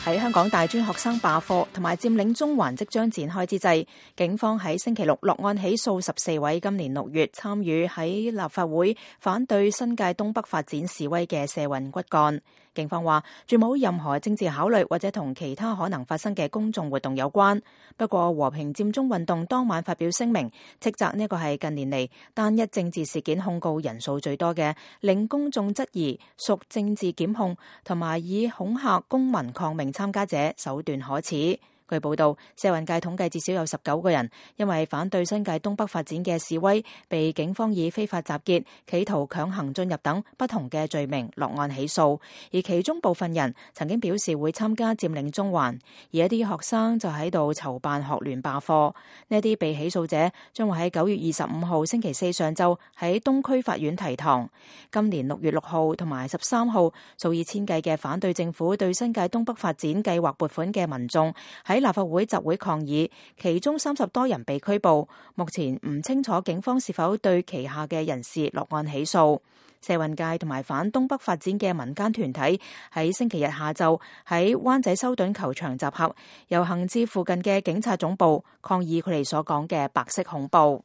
喺香港大專學生罷課同埋佔領中環即將展開之際，警方喺星期六落案起訴14位今年6月參與喺立法會反對新界東北發展示威嘅社運骨幹。警方話，絕冇任何政治考慮或者同其他可能發生嘅公眾活動有關。不過和平佔中運動當晚發表聲明，斥責呢個係近年嚟單一政治事件控告人數最多嘅，令公眾質疑屬政治檢控，同埋以恐嚇公民抗命參加者手段可恥。據報道，社運界統計至少有19個人因為反對新界東北發展嘅示威，被警方以非法集結、企圖強行進入等不同嘅罪名落案起訴。而其中部分人曾經表示會參加佔領中環，而一啲學生就喺度籌辦學聯罷課。呢啲被起訴者將會喺9月25號星期四上晝喺東區法院提堂。今年6月6號同埋13號，數以千計嘅反對政府對新界東北發展計劃撥款嘅民眾喺立法會集會抗議，其中30多人被拘捕。目前唔清楚警方是否對旗下嘅人士落案起訴。社運界同埋反東北發展嘅民間團體喺星期日下晝喺灣仔修頓球場集合，遊行至附近嘅警察總部抗議佢哋所講嘅白色恐怖。